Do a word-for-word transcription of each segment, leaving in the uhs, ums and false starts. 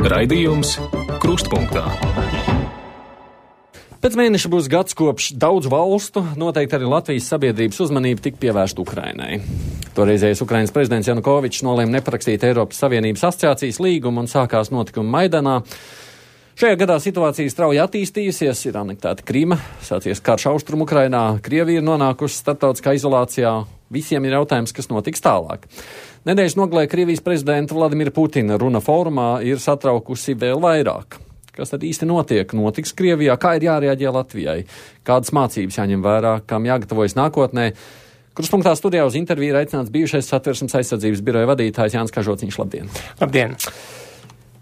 Raidījums Krustpunktā. Pēc mēneša būs gads kopš daudzu valstu, noteikti arī Latvijas sabiedrības uzmanība tika pievērsta Ukrainai. Toreizējais Ukrainas prezidents Janukovičs nolēma neparakstīt Eiropas Savienības asociācijas līgumu un sākās notikumi Maidanā. Šajā gadā situācija strauji attīstījusies, ir anektēta Krima, sācies karš Austrum Ukrainā, Krievija ir nonākusi starptautiskā izolācijā. Visiem ir jautājums, kas notiks tālāk. Nedēļas nogalē Krievijas prezidenta Vladimira Putina runa fórumā ir satraukusi vēl vairāk. Kas tad īsti notiek? Notiks Krievijā? Kā ir jārēģē Latvijai? Kādas mācības jāņem vērā? Kam jāgatavojas nākotnē? Krustpunktā studijā uz interviju ir aicināts bijušais Satversmes aizsardzības biroja vadītājs Jānis Kažociņš. Labdien! Labdien!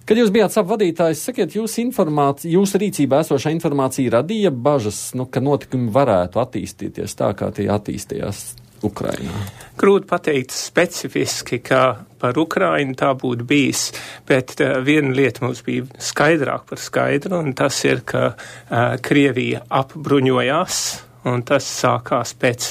Kad jūs bijāt savu vadītājs, sakiet, jūsu informācija, jūsu rīcībā esošā informācija radīja bažas, nu, ka notikumi varētu attīstīties tā, kā tie attīstījās Ukrainā? Grūti pateikt specifiski, ka par Ukrainu tā būtu bijis, bet uh, viena lieta mums bija skaidrāk par skaidru, un tas ir, ka uh, Krievija apbruņojās, un tas sākās pēc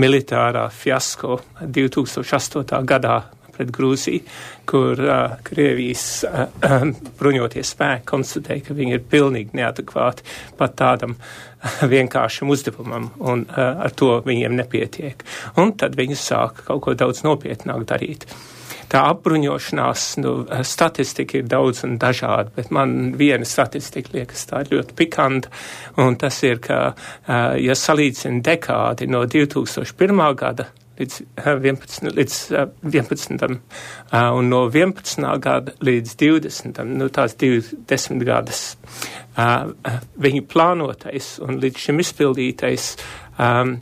militārā fiasko divi tūkstoši astotajā gadā pret Grūziju, kur uh, Krievijas uh, uh, bruņotie spēki konstatēja, ka viņi ir pilnīgi neadekvāti pat tādam uh, vienkāršam uzdevumam, un uh, ar to viņiem nepietiek. Un tad viņi sāka kaut ko daudz nopietnāk darīt. Tā apbruņošanās, nu, statistika ir daudz un dažāda, bet man viena statistika liekas tā ļoti pikanta, un tas ir, ka, uh, ja salīdzina dekādi no divi tūkstoši pirmā gada līdz vienpadsmitam, līdz vienpadsmitam un no vienpadsmitā gada līdz divdesmitam, nu tās divdesmit gadas, viņu plānotais un līdz šim izpildītais um,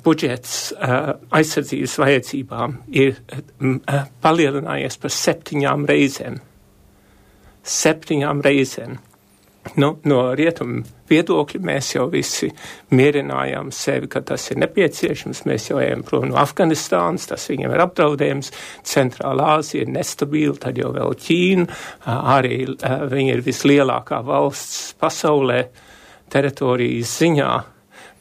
budžets uh, aizsardzības vajadzībām ir uh, palielinājies par septiņām reizēm. Septiņām reizēm. Nu, no rietumu viedokļa mēs jau visi mierinājām sevi, ka tas ir nepieciešams. Mēs jau ejam prom no Afganistānas, tas viņiem ir apdraudējums. Centrālā Āzija ir nestabila, tad jau vēl Ķīna. Arī viņa ir vislielākā valsts pasaulē teritorijas ziņā.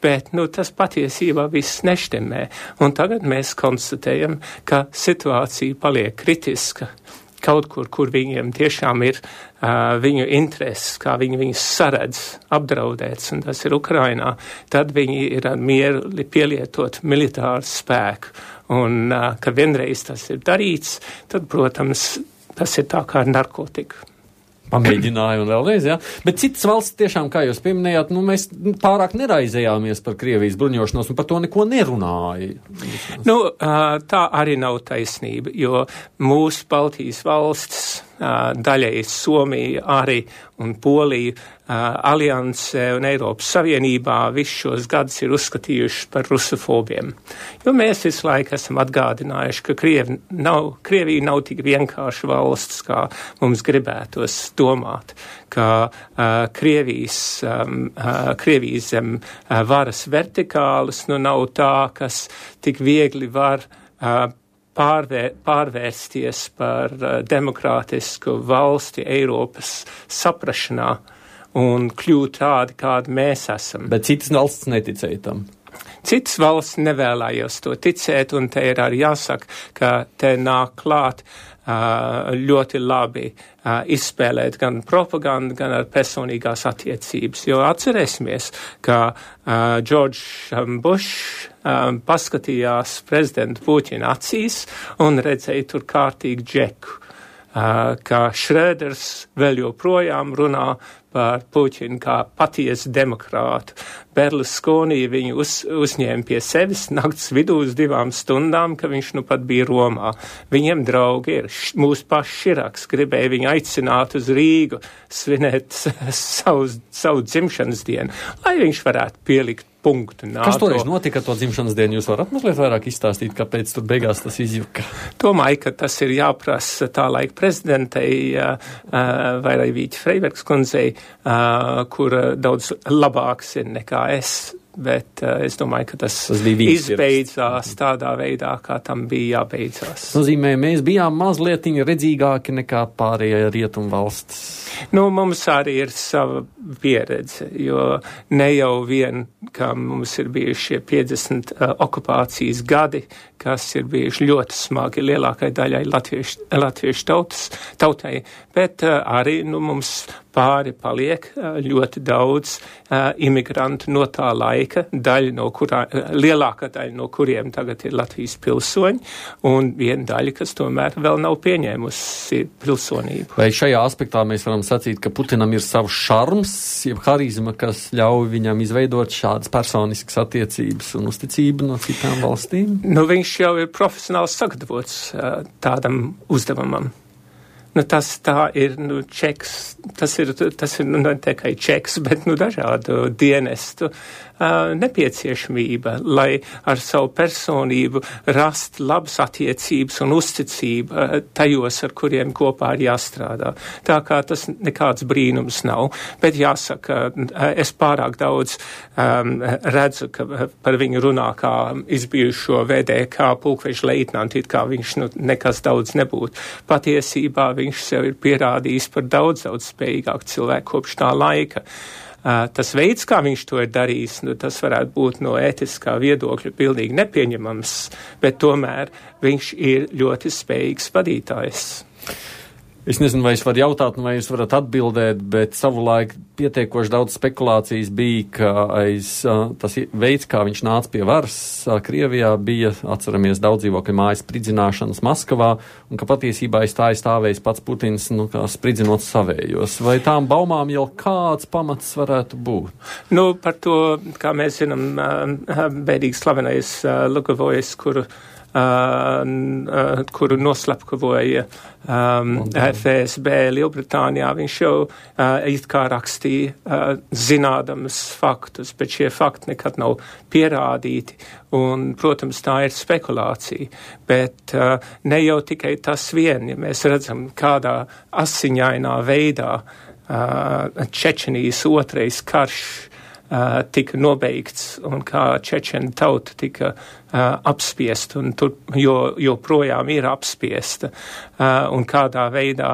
Bet, nu, tas patiesībā viss neštemē. Un tagad mēs konstatējam, ka situācija paliek kritiska. Kaut kur, kur viņiem tiešām ir uh, viņu intereses, kā viņi viņus saredz, apdraudēts, un tas ir Ukrainā, tad viņi ir ar mieru pielietot militāru spēku. Un, uh, ka vienreiz tas ir darīts, tad, protams, tas ir tā kā ar narkotiku. Pamēģināju un vēlreiz, jā. Bet citas valsts tiešām, kā jūs pieminējāt, nu, mēs pārāk neraizējāmies par Krievijas bruņošanos un par to neko nerunāja. Nu, tā arī nav taisnība, jo mūsu Baltijas valstis, daļai Somija arī un Polija, Aliansē un Eiropas Savienībā visus šos gadus ir uzskatījuši par rusofobiem. Jo mēs visu laiku esam atgādinājuši, ka Krievi nav, Krievija nav tik vienkārši valsts, kā mums gribētos domāt, ka uh, Krievijas, um, uh, Krievijas zem uh, varas vertikālas nu nav tā, kas tik viegli var uh, Pārvēr, pārvērsties par uh, demokrātisku valsti Eiropas saprašanā un kļūt tādi, kādi mēs esam. Bet citas valsts neticēja tam. Citas valsts nevēlējās to ticēt, un te ir arī jāsaka, ka te nāk klāt uh, ļoti labi uh, izspēlēt gan propagandu, gan ar personīgās attiecības. Jo atcerēsimies, ka uh, George um, Bush um, paskatījās prezidentu Puķina acīs un redzēja tur kārtīgu džeku. Uh, ka Šrēders vēl joprojām runā par Puķinu kā patiesu demokrātu. Berlusconi viņu uz, uzņēma pie sevis nakts vidū uz divām stundām, ka viņš nu pat bija Romā. Viņiem draugi ir. Mūsu paši Širaks gribēja viņu aicināt uz Rīgu svinēt savu, savu dzimšanas dienu, lai viņš varētu pielikt punktu NATO. Kas toreiz notika ar to dzimšanas dienu? Jūs varat mazliet vairāk izstāstīt, kāpēc tur beigās tas izjuka? Domāju, ka tas ir jāprasa tā laika prezidentei uh, vai arī Vīķa Freibergs kundzei, uh, kur daudz labāks ir nekā es bet uh, es domāju, ka tas, tas izbeidzās tādā veidā, kā tam bija jābeidzās. Tas nozīmē, mēs bijām mazliet redzīgāki nekā pārējie rietumu valstis. Nu, mums arī ir sava pieredze, jo ne jau vien, kā mums ir bijuši šie piecdesmit uh, okupācijas gadi, kas ir bijuši ļoti smagi lielākai daļai latviešu, latviešu tautas, tautai, bet uh, arī nu, mums pāri paliek uh, ļoti daudz uh, imigrantu no tā laika, daļa no kurā, uh, lielākā daļa no kuriem tagad ir Latvijas pilsoņi, un viena daļa, kas tomēr vēl nav pieņēmusi pilsonību. Vai šajā aspektā mēs varam sacīt, ka Putinam ir savs šarms, jeb harizma, kas ļauj viņam izveidot šādas personiskas attiecības un uzticību no citām valstīm? Nu, viņš jau ir profesionāls sagatavots uh, tādam uzdevumam. Nu, tas tā ir, nu, čeks, tas ir, tas ir, nu, ne tikai čeks, bet, nu, dažādu dienestu uh, nepieciešamība, lai ar savu personību rast labas attiecības un uzticību uh, tajos, ar kuriem kopā ir jāstrādā. Tā kā tas nekāds brīnums nav, bet jāsaka, uh, es pārāk daudz um, redzu, ka par viņu runā kā izbijušo V D K pulkveža leitnantu, it kā viņš, nu, nekas daudz nebūtu. Patiesībā viņš sev ir pierādījis par daudz, daudz spējīgāku cilvēku kopš tā laika. Uh, tas veids, kā viņš to ir darījis, nu, tas varētu būt no ētiskā viedokļa pilnīgi nepieņemams, bet tomēr viņš ir ļoti spējīgs vadītājs. Es nezinu, vai es varu jautāt, vai jūs varat atbildēt, bet savulaik pietiekoši daudz spekulācijas bija, ka aiz tas veids, kā viņš nāca pie varas Krievijā, bija, atceramies, daudz dzīvokļu mājas spridzināšanas Maskavā, un ka patiesībā aiz tā aizstāvējis pats Putins, nu, kā spridzinot savējos. Vai tām baumām jau kāds pamats varētu būt? Nu, par to, kā mēs zinām, bēdīgi slavenais Lugovojas, kuru Uh, uh, kuru noslepkavoja um, F S B Lielbritānijā, viņš jau uh, it kā rakstīja uh, zinādams faktus, bet šie fakti nekad nav pierādīti, un, protams, tā ir spekulācija, bet uh, ne jau tikai tas vien, ja mēs redzam, kādā asiņainā veidā uh, Čečenijas otrais karš Uh, tika nobeigts un kā čečena tauta tika uh, apspiesta un tur jo, joprojām ir apspiesta uh, un kādā veidā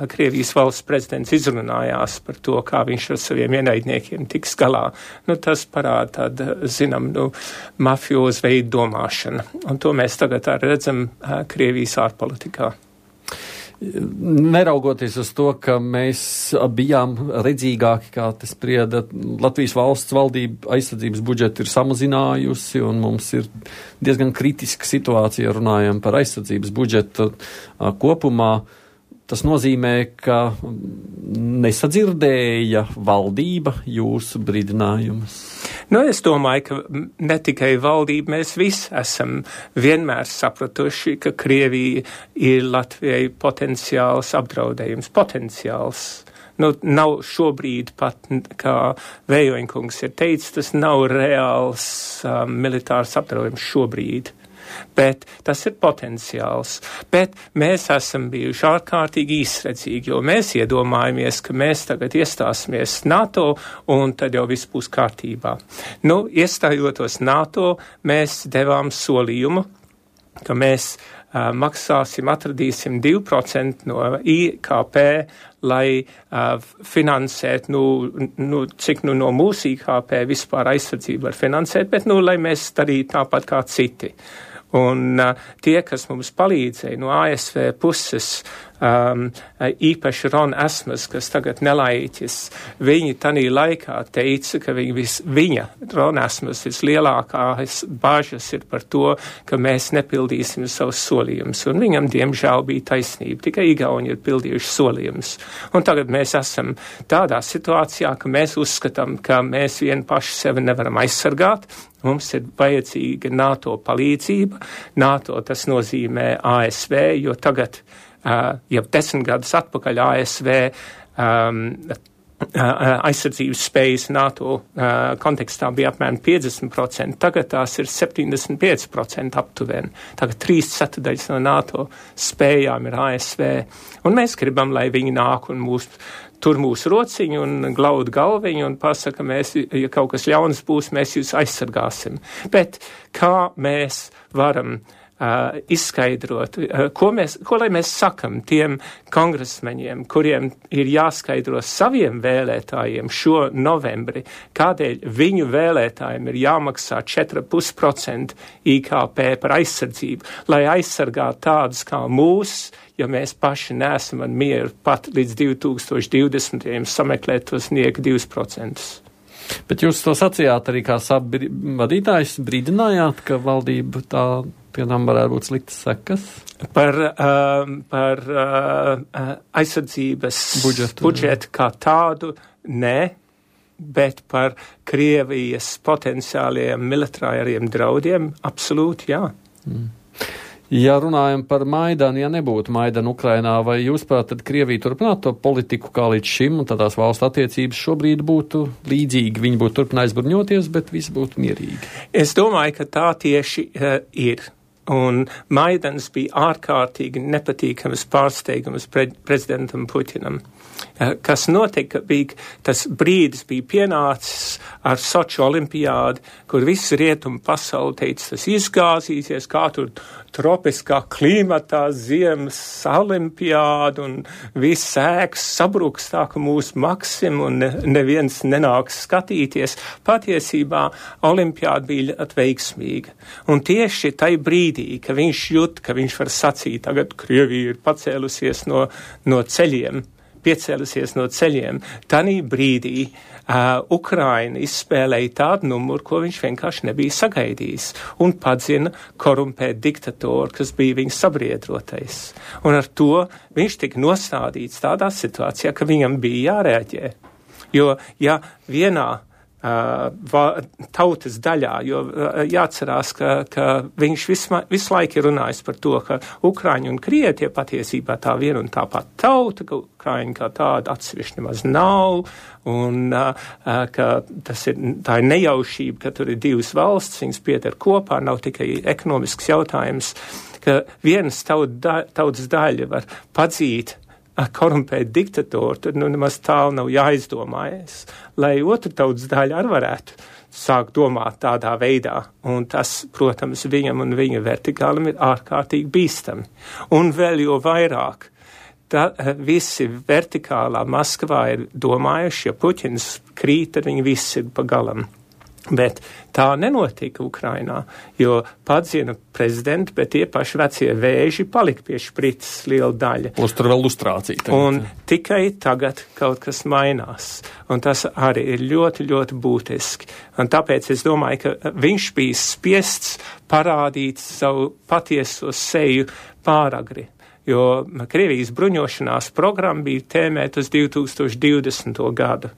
Krievijas valsts prezidents izrunājās par to, kā viņš ar saviem ienaidniekiem tiks galā. Nu, tas parāda tādu, zinām, nu, mafiozu veidu domāšanu. Un to mēs tagad arī redzam uh, Krievijas ārpolitikā. Neraugoties uz to, ka mēs bijām redzīgāki, kā te sprieda, Latvijas valsts valdība aizsardzības budžetu ir samazinājusi, un mums ir diezgan kritiska situācija, runājam par aizsardzības budžetu kopumā. Tas nozīmē, ka nesadzirdēja valdība jūsu brīdinājumus. Nu, es domāju, ka ne tikai valdība, mēs visi esam vienmēr sapratuši, ka Krievija ir Latvijai potenciāls apdraudējums, potenciāls. Nu, nav šobrīd pat, kā Vējoņkungs ir teicis, tas nav reāls um, militārs apdraudējums šobrīd. Bet tas ir potenciāls. Bet mēs esam bijuši ārkārtīgi īsredzīgi, jo mēs iedomājamies, ka mēs tagad iestāsimies NATO un tad jau viss būs kārtībā. Nu, iestājotos NATO, mēs devām solījumu, ka mēs uh, maksāsim, atradīsim divi procenti no I K P, lai uh, finansētu, nu, nu, cik nu no mūsu I K P vispār aizsardzību var finansēt, bet, nu, lai mēs darītu tāpat kā citi. Un uh, tie, kas mums palīdzēja no A S V puses, um, īpaši Ron Asmus, kas tagad nelaiķis, viņi tanī laikā teica, ka viņi vis, viņa, Ron Asmus, vislielākās bažas ir par to, ka mēs nepildīsim savus solījumus. Un viņam, diemžēl, bija taisnība. Tikai Igauni ir pildījuši solījumus. Un tagad mēs esam tādā situācijā, ka mēs uzskatām, ka mēs vien paši sevi nevaram aizsargāt. Mums ir vajadzīga NATO palīdzība. NATO tas nozīmē A S V, jo tagad, uh, jau desmit gadus atpakaļ A S V um, aizsardzības spējas NATO kontekstā bija apmēram piecdesmit procenti, tagad tās ir septiņdesmit pieci procenti aptuveni. Tagad trīs ceturdaļas no NATO spējām ir A S V. Un mēs gribam, lai viņi nāk un mūs, tur mūsu rociņu un glaud galviņu un pasaka, mēs, ja kaut kas ļauns būs, mēs jūs aizsargāsim. Bet kā mēs varam Uh, izskaidrot, uh, ko, mēs, ko lai mēs sakam tiem kongresmeņiem, kuriem ir jāskaidro saviem vēlētājiem šo novembri, kādēļ viņu vēlētājiem ir jāmaksā četri komats pieci procenti I K P par aizsardzību, lai aizsargātu tādus kā mūs, ja mēs paši neesam ar mieru pat līdz divi tūkstoši divdesmitajam sameklēt tos nieka divus procentus. Bet jūs to sacījāt arī kā sabu vadītājs, brīdinājāt, ka valdība tā piemēram varētu būt sliktas sekas? Par, uh, par uh, aizsardzības budžetu, budžetu kā tādu, nē, bet par Krievijas potenciāliem militāriem draudiem, absolūti jā. Mm. Ja runājam par Maidanu, ja nebūtu Maidana Ukrainā, vai jūs prāt, tad Krievija turpinātu to politiku kā līdz šim, un tad tās valstu attiecības šobrīd būtu līdzīgi, viņi būtu turpinājis bruņoties, bet viss būtu mierīgi? Es domāju, ka tā tieši uh, ir. Un Maidans bija ārkārtīgi nepatīkams pārsteigums pre- prezidentam Putinam. Kas notika, bija, tas brīdis bija pienācis ar Soču olimpiādi, kur viss rietumu pasauli teica, tas izgāzīsies, kā tur tropiskā klimatā ziemas olimpiāda un viss ēks sabruks tā, ka mūs maksim un ne, neviens nenāks skatīties. Patiesībā olimpiāda bija ļoti veiksmīga. Un tieši tai brīdī, ka viņš jūt, ka viņš var sacīt, tagad Krievija ir pacēlusies no, no ceļiem, piecēlusies no ceļiem. Tanī brīdī uh, Ukraina izspēlēja tādu numuru, ko viņš vienkārši nebija sagaidījis, un padzina korumpēt diktatoru, kas bija viņa sabriedrotais. Un ar to viņš tika nostādīts tādā situācijā, ka viņam bija jārēģē. Jo, ja vienā Uh, va, tautas daļā, jo uh, jāatcerās, ka, ka viņš visma, visu laiku ir runājis par to, ka Ukraiņi un Krievi tie patiesībā tā viena un tā pat tauta, ka Ukraiņi kā tāda atsevišķi nemaz nav, un uh, uh, ka tas ir, tā ir nejaušība, ka tur ir divas valsts, viņas pieder kopā, nav tikai ekonomisks jautājums, ka vienas taut, da, tautas daļa var padzīt korumpēt diktatoru, tad nu nemaz tālu nav jāizdomājas, lai otru tautas daļu arī varētu sākt domāt tādā veidā. Un tas, protams, viņam un viņa vertikālam ir ārkārtīgi bīstami. Un vēl jo vairāk, tā, visi vertikālā Maskavā ir domājuši, ja Puķins krīt, tad viņi visi ir pa galam. Bet tā nenotika Ukrainā, jo padzina prezidenti, bet tie paši vecie vēži palika pie šprices liela daļa. Plus tur vēl lustrācija. Tagad. Un tikai tagad kaut kas mainās. Un tas arī ir ļoti, ļoti būtiski. Un tāpēc es domāju, ka viņš bija spiests parādīt savu patieso seju pāragri. Jo Krievijas bruņošanās programma bija tēmēta uz divi tūkstoši divdesmito gadu.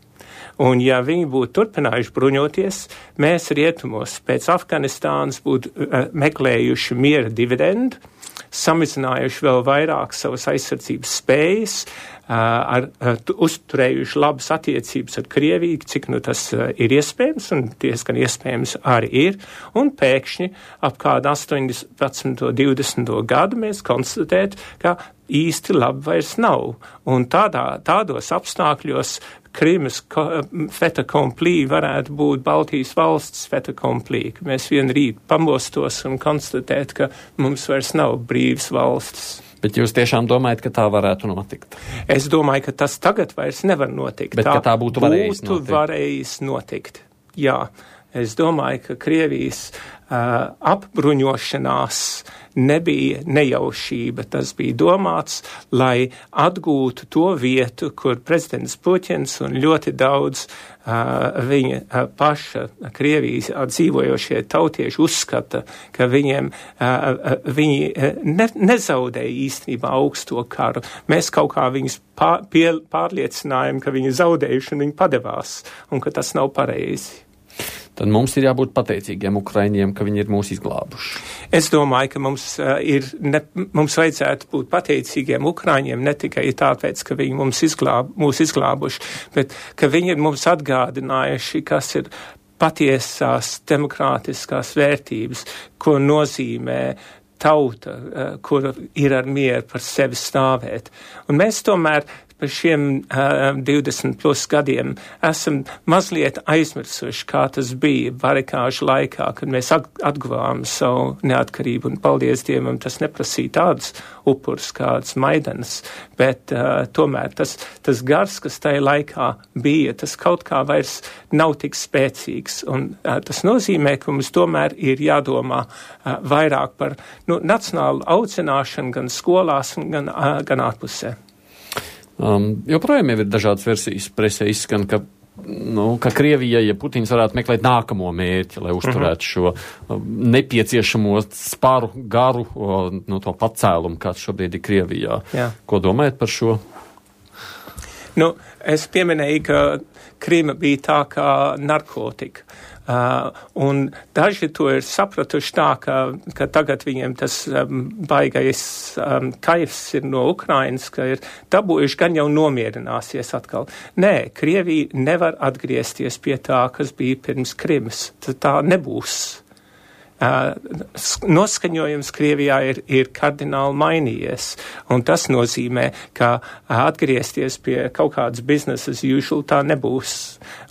Un ja viņi būtu turpinājuši bruņoties, mēs rietumos pēc Afganistānas būtu uh, meklējuši miera dividendu, samazinājuši vēl vairāk savas aizsardzības spējas, uh, ar, uh, uzturējuši labas attiecības ar Krieviju, cik nu tas uh, ir iespējams, un diezgan iespējams arī ir, un pēkšņi ap kādu astoņdesmito, divdesmito gadu mēs konstatētu, ka īsti labi vairs nav. Un tādā, tādos apstākļos Krimas fait accompli varētu būt Baltijas valsts fait accompli, ka mēs vien rīt pamostos un konstatēt, ka mums vairs nav brīvas valstis. Bet jūs tiešām domājat, ka tā varētu notikt? Es domāju, ka tas tagad vairs nevar notikt. Bet tā, ka tā būtu varējis būtu notikt? varējis notikt. Jā, es domāju, ka Krievijas uh, apbruņošanās nebija nejaušība. Tas bija domāts, lai atgūtu to vietu, kur prezidents Puķins un ļoti daudz uh, viņa uh, paša Krievijas dzīvojošie tautieši uzskata, ka viņiem uh, viņi uh, ne, nezaudēja īstenībā augsto karu. Mēs kaut kā viņus pār, pie, pārliecinājām, ka viņi zaudējuši un viņi padevās, un ka tas nav pareizi. tad mums ir jābūt pateicīgiem Ukraiņiem, ka viņi ir mūs izglābuši. Es domāju, ka mums, uh, ir ne, mums vajadzētu būt pateicīgiem Ukraiņiem ne tikai tāpēc, ka viņi mums izglāb, mūs izglābuši, bet ka viņi ir mums atgādinājuši, kas ir patiesās demokrātiskās vērtības, ko nozīmē tauta, uh, kur ir ar mieru par sevi stāvēt. Un mēs tomēr par šiem uh, divdesmit plus gadiem esam mazliet aizmirsuši, kā tas bija barikāžu laikā, kad mēs atguvām savu neatkarību, un paldies Dievam, tas neprasīja tādus upurus kāds Maidanas, bet uh, tomēr tas, tas gars, kas tajā laikā bija, tas kaut kā vairs nav tik spēcīgs, un uh, tas nozīmē, ka mums tomēr ir jādomā uh, vairāk par nu, nacionālu audzināšanu gan skolās, gan, uh, gan ārpusē. Um, joprojām jau ir dažādas versijas presē izskan, ka, nu, ka Krievija, ja Putins varētu meklēt nākamo mērķi, lai uzturētu šo um, nepieciešamo spāru garu, o, nu, to pacēlumu, kāds šobrīd ir Krievijā. Jā. Ko domājat par šo? Nu, es pieminēju, ka Krima bija tā kā narkotika. Uh, un daži to ir sapratuši tā, ka, ka tagad viņiem tas um, baigais um, kaifs ir no Ukrainas, ka ir dabūjuši, gan jau nomierināsies atkal. Nē, Krievija nevar atgriezties pie tā, kas bija pirms Krimas. Tā, tā nebūs. Uh, noskaņojums Krievijā ir, ir kardināli mainījies, un tas nozīmē, ka uh, atgriezties pie kaut kādas business as usual tā nebūs.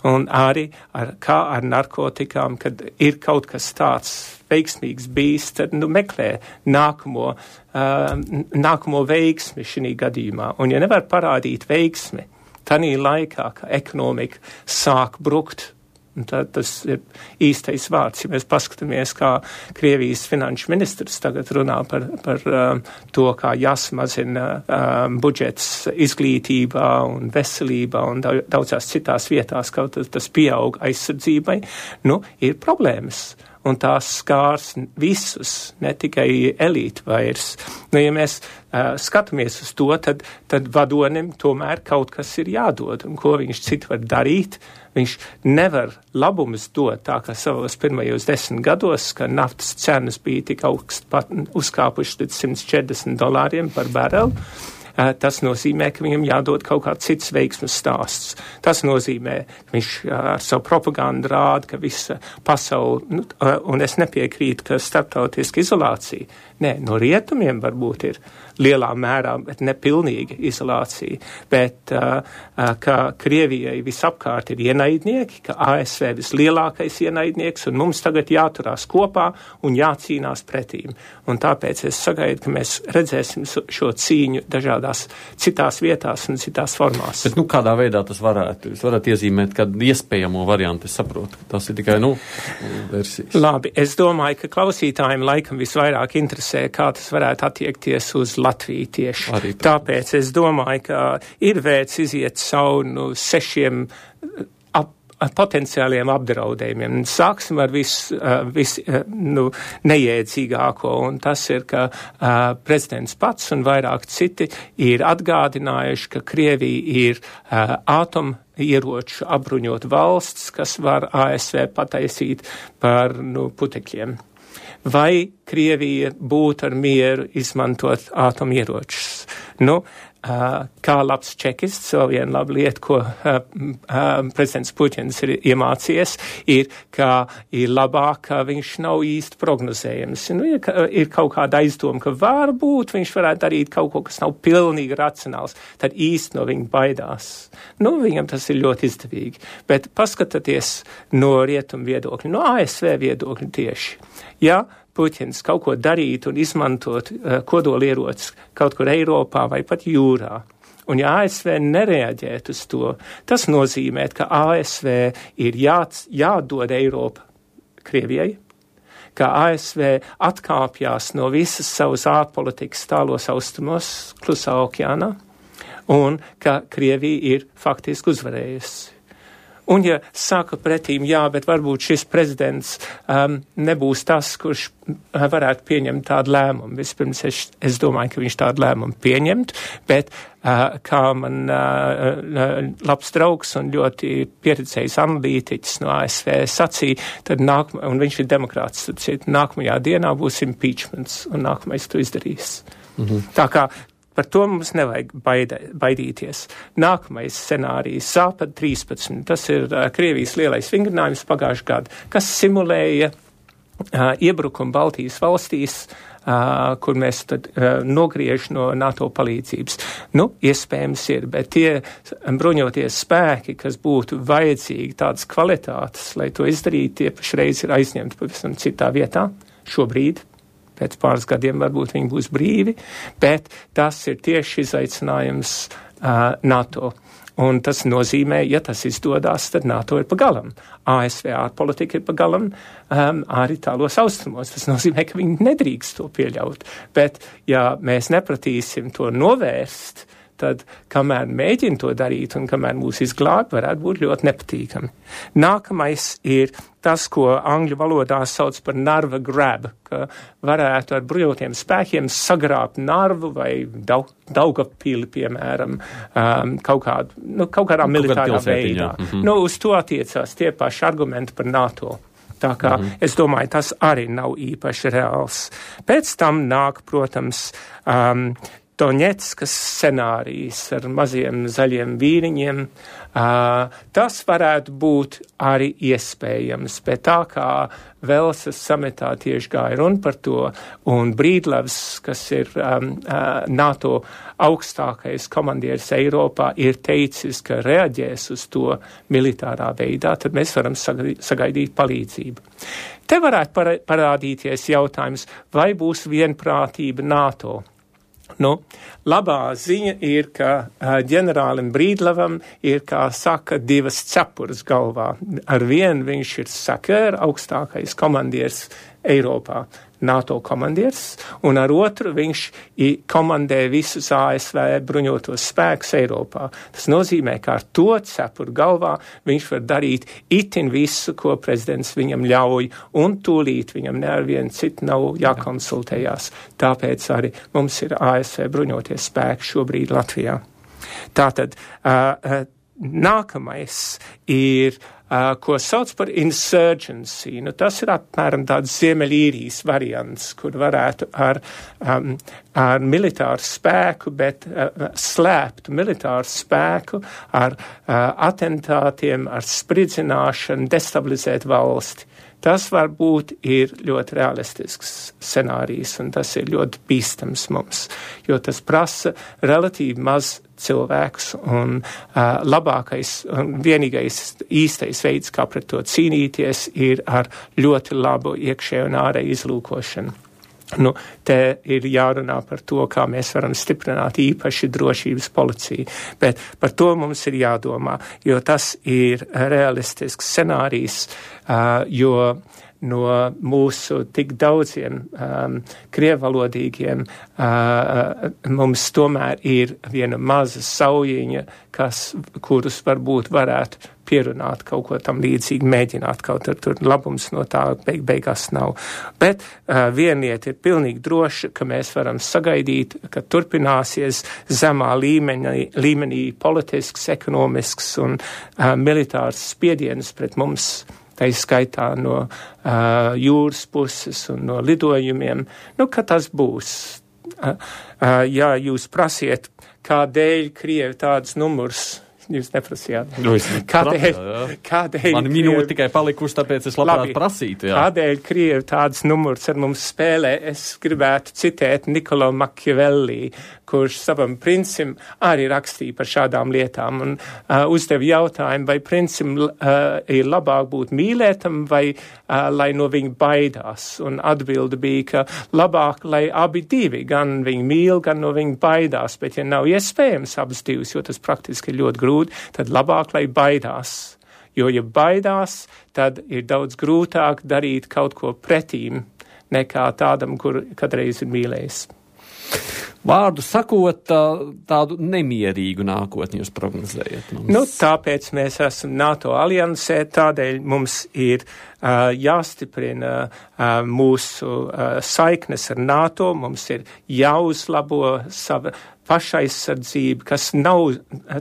Un arī ar, kā ar narkotikām, kad ir kaut kas tāds veiksmīgs bijis, tad nu, meklē nākamo, uh, nākamo veiksmi šī gadījumā. Un ja nevar parādīt veiksmi, tanī laikā, ka ekonomika sāk brukt, tad tas ir īstais vārds. Ja mēs paskatāmies, kā Krievijas finanšu ministrs tagad runā par, par um, to, kā jāsamazina um, budžets izglītībā un veselībā un daudzās citās vietās, kaut tas, tas pieaug aizsardzībai, nu, ir problēmas. Un tās skārs visus, ne tikai elīti vairs. Nu, ja mēs uh, skatāmies uz to, tad, tad vadonim tomēr kaut kas ir jādod. Un ko viņš citu var darīt? Viņš nevar labumus dot tā, kā savos pirmajos desmit gados, ka naftas cenas bija tik augst pat uzkāpušas līdz simt četrdesmit dolāriem par barelu. Tas nozīmē, ka viņam jādod kaut kāds cits veiksmes stāsts. Tas nozīmē, ka viņš ar savu propagandu rāda, ka visa pasaule, nu, un es nepiekrītu, ka starptautiska izolācija, nē, no rietumiem varbūt ir lielā mērā, bet nepilnīga izolācija, bet uh, uh, ka Krievijai visapkārt ir ienaidnieki, ka A S V vislielākais ienaidnieks, un mums tagad jāturās kopā un jācīnās pretīm. Un tāpēc es sagaidu, ka mēs redzēsim šo cīņu dažādās citās vietās un citās formās. Bet, nu, kādā veidā tas varētu? Jūs varat iezīmēt kādu iespējamo variantu, es saprotu, ka tas ir tikai, nu, versijas. Labi, es domāju, ka klausītājiem laikam visvairāk interesē, kā tas varētu attiekties uz Latviju tieši. Arī tāpēc es domāju, ka ir vērts iziet cauri nu, sešiem ap, potenciāliem apdraudējumiem. Sāksim ar visu vis, nu, neiedzīgāko, un tas ir, ka uh, prezidents pats un vairāk citi ir atgādinājuši, ka Krievija ir uh, ātom ieroču apbruņot valsts, kas var A S V pataisīt par nu, putekļiem. Vai Krievija būtu ar mieru izmantot ātomieročus? Nu, uh, kā labs čekists, vēl viena laba lieta, ko uh, uh, prezidents Puķins ir iemācījies, ir, ka ir labāk, ka viņš nav īsti prognozējams. Nu, ir, ir kaut kāda aizdoma, ka varbūt viņš varētu darīt kaut ko, kas nav pilnīgi racionāls, tad īsti no viņa baidās. Nu, viņam tas ir ļoti izdevīgi. Bet paskatieties no rietumu viedokļa, no A S V viedokļa tieši. Ja Puķins kaut ko darītu un izmantot uh, kodolierocis kaut kur Eiropā vai pat jūrā, un ja A S V nereaģētu uz to, tas nozīmē, ka A S V ir jā, jādod Eiropa Krievijai, ka A S V atkāpjās no visas savas ārpolitikas tālos austrumos, Klusā okeānā, un ka Krievija ir faktiski uzvarējusi. Un ja saka pretīm, jā, bet varbūt šis prezidents um, nebūs tas, kurš uh, varētu pieņemt tādu lēmumu. Vispirms es, es domāju, ka viņš tādu lēmumu pieņemt, bet uh, kā man uh, labs draugs un ļoti pieredzējis analītiķis no A S V sacīja, tad nākamā, un viņš ir demokrāts, tad nākamajā dienā būs impeachments, un nākamais to izdarīs. Mhm. Tā kā par to mums nevajag baidē, baidīties. Nākamais scenārijs Zāpad trīspadsmit, tas ir uh, Krievijas lielais vingrinājums pagājušajā gadā, kas simulēja uh, iebrukumu Baltijas valstīs, uh, kur mēs tad uh, nogriež no NATO palīdzības. Nu, iespējams ir, bet tie bruņoties spēki, kas būtu vajadzīgi tādas kvalitātes, lai to izdarītu, tie pašreiz ir aizņemti pavisam citā vietā šobrīd. Pēc pāris gadiem varbūt viņi būs brīvi, bet tas ir tieši izaicinājums uh, NATO. Un tas nozīmē, ja tas izdodās, tad NATO ir pagalam. A S V ārpolitika ir pagalam um, arī tālos austrumos. Tas nozīmē, ka viņi nedrīkst to pieļaut. Bet, ja mēs nepratīsim to novērst, tad, kamēr mēģina to darīt un kamēr mūs izglāb, varētu būt ļoti nepatīkami. Nākamais ir tas, ko angļu valodā sauc par narva grab, ka varētu ar bruņotiem spēkiem sagrābt narvu vai Daug, Daugavpili, piemēram, um, kaut, kādu, nu, kaut kādā militārā veidā. Mm-hmm. Nu, uz to attiecās tie paši argumenti par NATO. Tā kā mm-hmm. es domāju, tas arī nav īpaši reāls. Pēc tam nāk, protams, um, Doņetskas scenārijs ar maziem zaļiem vīriņiem, uh, tas varētu būt arī iespējams, bet tā kā Velsas sametā tieši gāja runa par to, un Brīdlavs, kas ir um, uh, NATO augstākais komandieris Eiropā, ir teicis, ka reaģēs uz to militārā veidā, tad mēs varam sagaidīt palīdzību. Te varētu parādīties jautājums, vai būs vienprātība NATO. Nu, labā ziņa ir, ka uh, ģenerālim Brīdlavam ir, kā saka, divas cepures galvā. Ar vienu viņš ir Sakēra, augstākais komandieris Eiropā, NATO komandieris, un ar otru viņš komandē visus A S V bruņotos spēkus Eiropā. Tas nozīmē, ka ar to cepuru galvā viņš var darīt itin visu, ko prezidents viņam ļauj, un tūlīt viņam ne ar vienu citu nav jākonsultējās. Tāpēc arī mums ir A S V bruņoties spēki šobrīd Latvijā. Tātad uh, nākamais ir Uh, ko sauc par insurgency. Nu, tas ir apmēram tāds Ziemeļīrijas variants, kur varētu ar, um, ar militāru spēku, bet uh, slēptu militāru spēku ar uh, atentātiem, ar spridzināšanu, destabilizēt valsti. Tas varbūt ir ļoti realistisks scenārijs, un tas ir ļoti bīstams mums, jo tas prasa relatīvi maz cilvēkus, un uh, labākais un vienīgais īstais veids, kā pret to cīnīties, ir ar ļoti labu iekšējo un ārēju izlūkošanu. Nu, te ir jārunā par to, kā mēs varam stiprināt īpaši drošības policiju, bet par to mums ir jādomā, jo tas ir realistisks scenārijs, uh, jo no mūsu tik daudziem um, krievvalodīgiem uh, mums tomēr ir viena maza saujiņa, kas, kurus varbūt varētu pierunāt kaut ko tam līdzīgi, mēģināt kaut ar tur labums no tā beig beigās nav. Bet uh, viena lieta ir pilnīgi droša, ka mēs varam sagaidīt, ka turpināsies zemā līmenī, līmenī politisks, ekonomisks un uh, militārs spiediens pret mums, tā izskaitā no uh, jūras puses un no lidojumiem, nu, ka tas būs. Uh, uh, ja jūs prasiet, kādēļ Krievi tādus numurs, jūs neprasījāt. Nu, kādēļ, prasā, kādēļ man minūte tikai palikuši, tāpēc es labprāt labi, prasītu. Jā. Kādēļ Krievi tādus numurus ar mums spēlē? Es gribētu citēt Niccolo Machiavelli, kurš savam princim arī rakstīja par šādām lietām un uh, uzdev jautājumu, vai princim uh, ir labāk būt mīlētam vai uh, lai no viņa baidās. Un atbilde bija, ka labāk, lai abi divi, gan viņu mīl, gan no viņa baidās, bet ja nav iespējams abas divas, jo tas praktiski ir ļoti grūti, tad labāk, lai baidās. Jo, ja baidās, tad ir daudz grūtāk darīt kaut ko pretīm nekā tādam, kur kadreiz ir mīlējis. Vārdu sakot, tā, tādu nemierīgu nākotni jūs prognozējat mums. Nu, tāpēc mēs esam NATO aliansē, tādēļ mums ir uh, jāstiprina uh, mūsu uh, saiknes ar NATO, mums ir jāuzlabo sava pašaizsardzība, kas nav,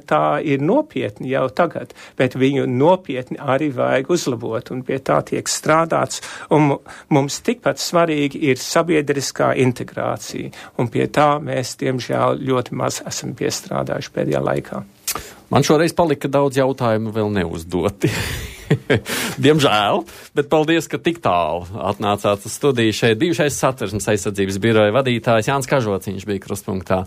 tā ir nopietni jau tagad, bet viņu nopietni arī vajag uzlabot, un pie tā tiek strādāts, un mums tikpat svarīgi ir sabiedriskā integrācija, un pie tā mēs, diemžēl, ļoti maz esam piestrādājuši pēdējā laikā. Man šoreiz palika daudz jautājumu vēl neuzdoti. Diemžēl, bet paldies, ka tik tālu atnācāt uz studiju. Šeit bijušais Satversmes aizsardzības biroja vadītājs Jānis Kažociņš bija krustpunktā.